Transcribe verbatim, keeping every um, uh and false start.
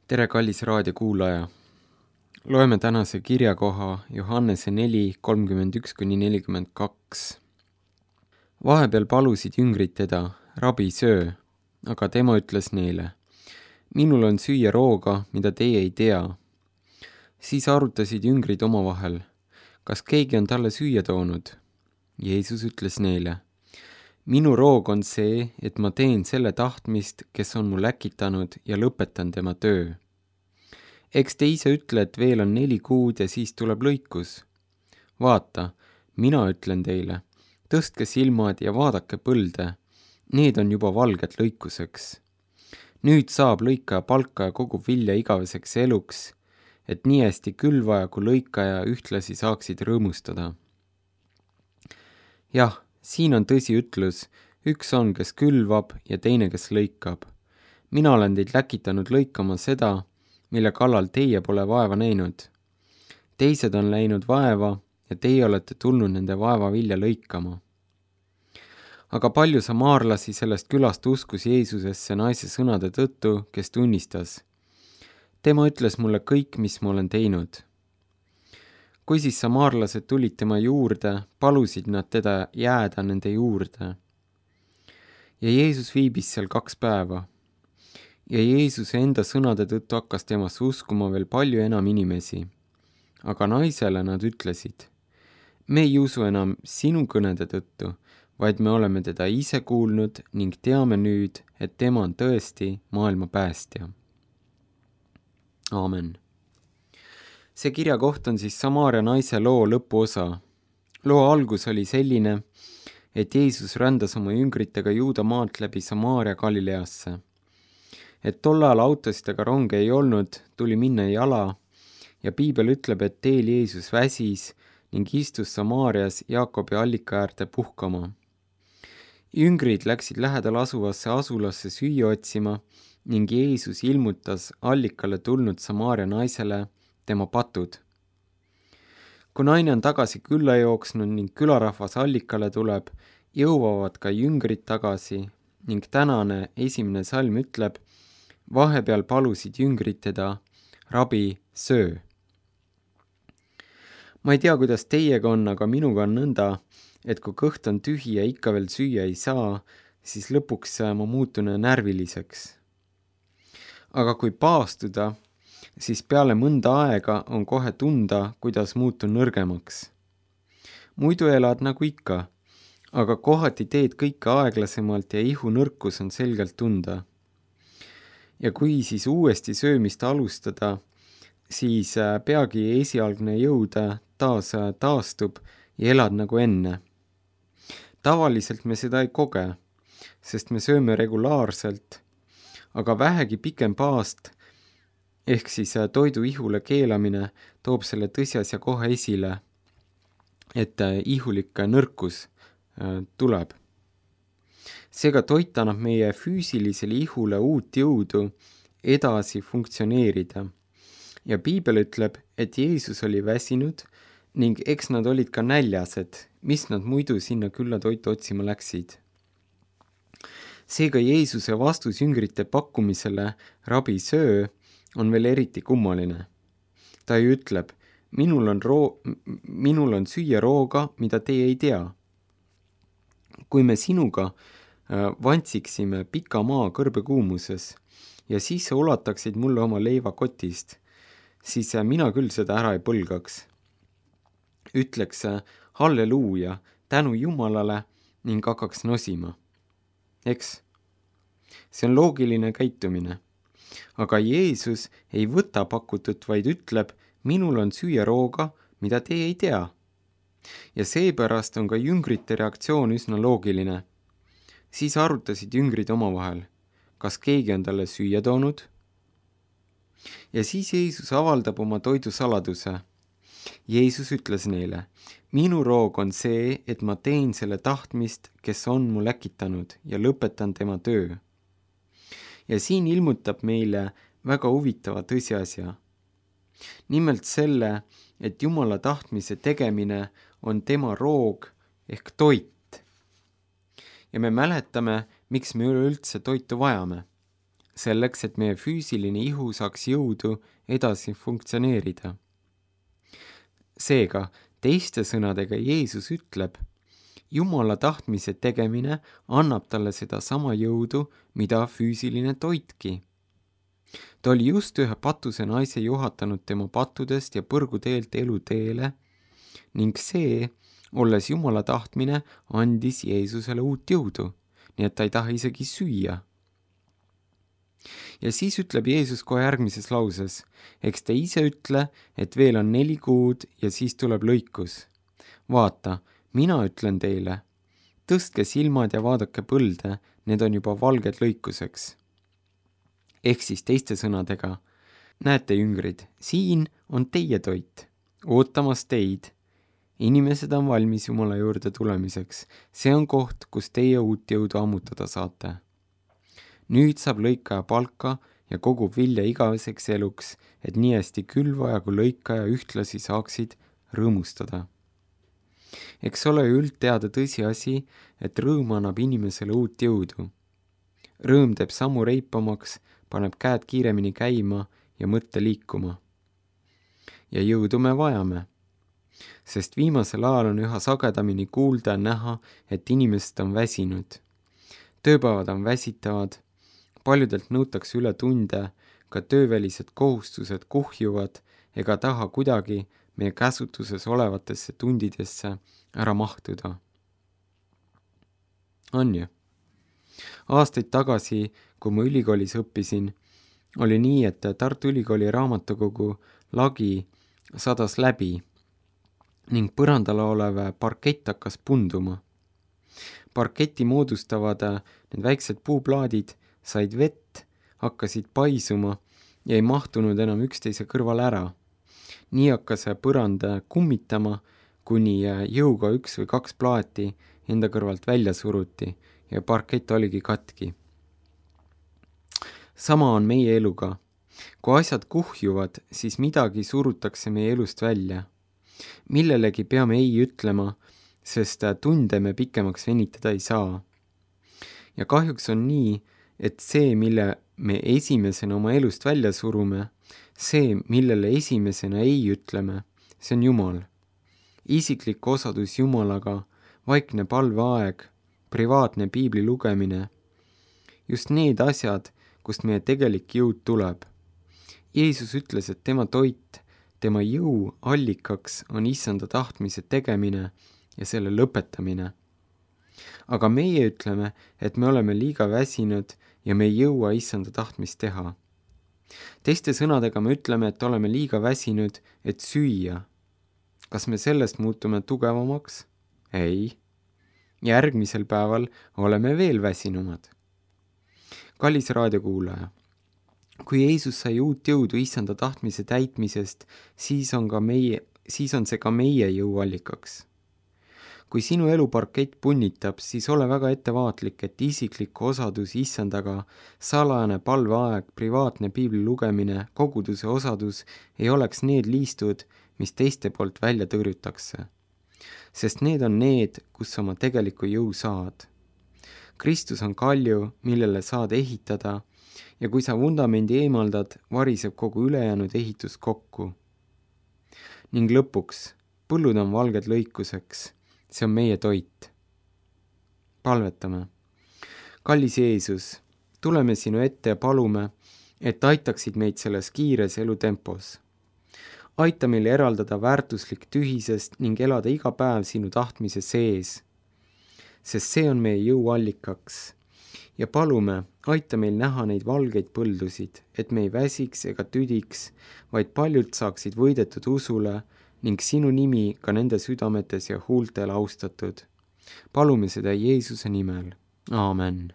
Tere, kallis raadiokuulaja! Loeme tänase kirjakoha Johannese neli kolmkümmend üks kuni nelikümmend kaks. Vahepeal palusid jüngrid teda, rabi, söö, aga tema ütles neile, minul on süüa rooga, mida teie ei tea. Siis arutasid jüngrid omavahel, kas keegi on talle süüa toonud. Jeesus ütles neile, minu roog on see, et ma teen selle tahtmist, kes on mul äkitanud ja lõpetan tema töö. Eks te ise ütle, et veel on neli kuud ja siis tuleb lõikus. Vaata, mina ütlen teile, tõstke silmad ja vaadake põlde, need on juba valged lõikuseks. Nüüd saab lõikaja palka ja kogub vilja igaveseks eluks, et nii hästi külvaja kui lõikaja ühtlasi saaksid rõõmustada. Jah, siin on tõsi ütlus, üks on, kes külvab ja teine, kes lõikab. Mina olen teid läkitanud lõikama seda, mille kallal teie pole vaeva näinud. Teised on läinud vaeva ja teie olete tulnud nende vaeva vilja lõikama. Aga palju samaarlasi sellest külast uskus Jeesusesse naise sõnade tõttu, kes tunnistas. Tema ütles mulle kõik, mis ma olen teinud. Kui siis samaarlased tulid tema juurde, palusid nad teda jääda nende juurde. Ja Jeesus viibis seal kaks päeva. Ja Jeesuse enda sõnade tõttu hakkas temasse uskuma veel palju enam inimesi. Aga naisele nad ütlesid, me ei usu enam sinu kõnede tõttu, vaid me oleme teda ise kuulnud ning teame nüüd, et tema on tõesti maailma päästja. Aamen. See kirja koht on siis Samaaria naise loo lõpuosa. Loo algus oli selline, et Jeesus rändas oma jüngritega Juuda maalt läbi Samaaria Galileasse. Et tollal autosid ega ronge ei olnud, tuli minna jala ja Piibel ütleb, et teel Jeesus väsis ning istus Samaarias Jaakobi allika äärde puhkama. Jüngrid läksid lähedal asuvasse asulasse süüa otsima ning Jeesus ilmutas allikale tulnud Samaaria naisele tema patud. Kui naine on tagasi külla jooksnud ning külarahvas allikale tuleb, jõuavad ka jüngrid tagasi ning tänane esimene salm ütleb, vahepeal palusid jüngrid teda, rabi, söö. Ma ei tea, kuidas teiega on, aga minuga on nõnda, et kui kõht on tühi ja ikka veel süüa ei saa, siis lõpuks ma muutun närviliseks. Aga kui paastuda, siis peale mõnda aega on kohe tunda, kuidas muutun nõrgemaks. Muidu elad nagu ikka, aga kohati teed kõike aeglasemalt ja ihu nõrkus on selgelt tunda. Ja kui siis uuesti söömist alustada, siis peagi esialgne jõud taas taastub ja elad nagu enne. Tavaliselt me seda ei koge, sest me sööme regulaarselt, aga vähegi pikem paast ehk siis toidu ihule keelamine toob selle tõsiasja kohe esile, et ihulik nõrkus tuleb. Seega toit annab meie füüsilisele ihule uut jõudu edasi funktsioneerida. Ja Piibel ütleb, et Jeesus oli väsinud ning eks nad olid ka näljased, mis nad muidu sinna külla toitu otsima läksid. Seega Jeesuse vastus jüngrite pakkumisele rabi söö on veel eriti kummaline. Ta ju ütleb, minul on, roo- minul on süüa rooga, mida teie ei tea. Kui me sinuga vantsiksime pika maa kõrbekuumuses ja siis sa ulataksid mulle oma leiva kotist, siis mina küll seda ära ei põlgaks. Ütleks halleluuja, tänu Jumalale ning hakkaks nosima. Eks? See on loogiline käitumine. Aga Jeesus ei võta pakutut, vaid ütleb, minul on süüa rooga, mida teie ei tea. Ja seepärast on ka jüngrite reaktsioon üsna loogiline. Siis arutasid jüngrid omavahel, kas keegi on talle süüa toonud? Ja siis Jeesus avaldab oma toidu saladuse. Jeesus ütles neile, minu roog on see, et ma teen selle tahtmist, kes on mul äkitanud ja lõpetan tema töö. Ja siin ilmutab meile väga huvitava tõsiasja. Nimelt selle, et Jumala tahtmise tegemine on tema roog ehk toit. Ja me mäletame, miks me üleüldse toitu vajame. selleks, et meie füüsiline ihu saaks jõudu edasi funktsioneerida. Seega, teiste sõnadega Jeesus ütleb, Jumala tahtmise tegemine annab talle seda sama jõudu, mida füüsiline toitki. Ta oli just ühe patuse naise juhatanud tema pattudest ja põrguteelt eluteele ning see, olles Jumala tahtmine, andis Jeesusele uut jõudu, nii et ta ei taha isegi süüa. Ja siis ütleb Jeesus kohe järgmises lauses, eks te ise ütle, et veel on neli kuud ja siis tuleb lõikus. Vaata, mina ütlen teile, tõstke silmad ja vaadake põlde, need on juba valged lõikuseks. Ehk siis teiste sõnadega, näete jüngrid, siin on teie toit, ootamas teid. Inimesed on valmis Jumala juurde tulemiseks, see on koht, kus teie uut jõudu ammutada saate. Nüüd saab lõikaja palka ja kogub vilja igaveseks eluks, et nii hästi külvaja kui lõikaja ühtlasi saaksid rõõmustada. Eks ole üldteada tõsiasi, et rõõm annab inimesele uut jõudu. Rõõm teeb sammu reipamaks, paneb käed kiiremini käima ja mõtte liikuma. Ja jõudu me vajame, sest viimasel ajal on üha sagedamini kuulda ja näha, et inimesed on väsinud. Tööpäevad on väsitavad, paljudelt nõutakse üle tunde, ka töövälised kohustused kuhjuvad ega taha kuidagi meie käsutuses olevatesse tundidesse ära mahtuda. On ju? Aastaid tagasi, kui ma ülikoolis õppisin, oli nii, et Tartu Ülikooli raamatukogu lagi sadas läbi ning põrandal olev parkett hakkas punduma. Parketti moodustavad need väiksed puuplaadid said vett, hakkasid paisuma ja ei mahtunud enam üksteise kõrval ära. Nii hakkas põrand kummitama, kuni jõuga üks või kaks plaati enda kõrvalt välja suruti ja parkett oligi katki. Sama on meie eluga. Kui asjad kuhjuvad, siis midagi surutakse meie elust välja. Millelegi peame ei ütlema, sest tunde me pikemaks venitada ei saa. Ja kahjuks on nii, et see, mille me esimesena oma elust välja surume, see, millele esimesena ei ütleme, see on Jumal. Isiklik osadus Jumalaga, vaikne palveaeg, privaatne piibli lugemine. Just need asjad, kust meie tegelik jõud tuleb. Jeesus ütles, et tema toit, tema jõu allikaks on issanda tahtmise tegemine ja selle lõpetamine. Aga meie ütleme, et me oleme liiga väsinud ja me ei jõua issanda tahtmist teha. Teiste sõnadega me ütleme, et oleme liiga väsinud, et süüa. Kas me sellest muutume tugevamaks? Ei. Järgmisel päeval oleme veel väsinumad. Kallis raadiokuulaja, kui Jeesus sai uut jõudu issanda tahtmise täitmisest, siis on, ka meie, siis on see ka meie jõuallikaks. Kui sinu eluparkett punnitab, siis ole väga ettevaatlik, et isiklik osadus issandaga, salajane palveaeg, privaatne piibli lugemine, koguduse osadus ei oleks need liistud, mis teiste poolt välja tõrjutakse. Sest need on need, kus oma tegeliku jõu saad. Kristus on kalju, millele saad ehitada ja kui sa vundamendi eemaldad, variseb kogu ülejäänud ehitus kokku. Ning lõpuks, põllud on valged lõikuseks, see on meie toit. Palvetame. Kallis Jeesus, tuleme sinu ette ja palume, et aitaksid meid selles kiires elutempos. Aita meil eraldada väärtuslik tühisest ning elada iga päev sinu tahtmise sees, sest see on meie jõuallikaks. Ja palume, aita meil näha neid valgeid põldusid, et me ei väsiks ega tüdiks, vaid paljud saaksid võidetud usule ning sinu nimi ka nende südametes ja huultel austatud. Palume seda Jeesuse nimel. Aamen.